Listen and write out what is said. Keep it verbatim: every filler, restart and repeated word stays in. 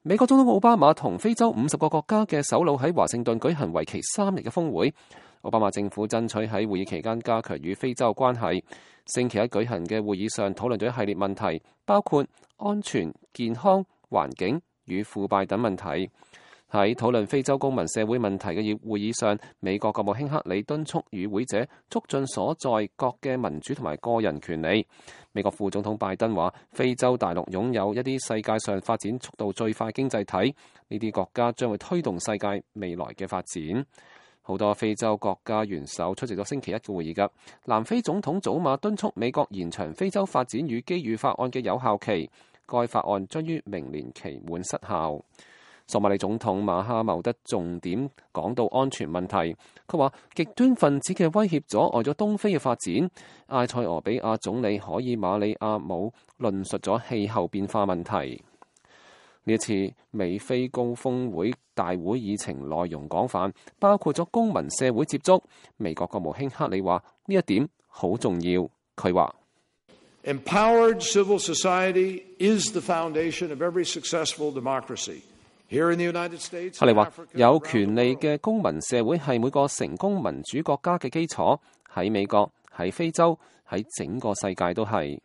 美國總統奧巴馬同非洲五十個國家嘅首腦喺華盛頓舉行為期三日嘅峰會。奧巴馬政府爭取喺會議期間加強與非洲關係。星期一舉行嘅會議上討論咗一系列問題，包括安全、健康、環境與腐敗等問題。喺討論非洲公民社會問題嘅會議上，美國國務卿克里敦促與會者促進所在國嘅民主同埋個人權利。美國副總統拜登話，非洲大陸擁有一啲世界上發展速度最快經濟體，呢啲國家將會推動世界未來嘅發展。好多非洲國家元首出席咗星期一嘅會議㗎。南非總統祖馬敦促美國延長非洲發展與機遇法案嘅有效期，該法案將於明年期滿失效。索馬里總統馬哈茂德重點講到安全問題，佢話極端分子嘅威脅阻礙咗東非嘅發展。埃塞俄比亞總理可以馬里亞姆論述咗氣候變化問題。呢一次美非高峰會大會議程內容廣泛，包括咗公民社會接觸。美國國務卿克里話呢一點好重要。佢話：Empowered civil society is the foundation of every successful democracy. 克里話：有權利嘅公民社會係每個成功民主國家嘅基礎，喺美國、喺非洲、喺整個世界都係。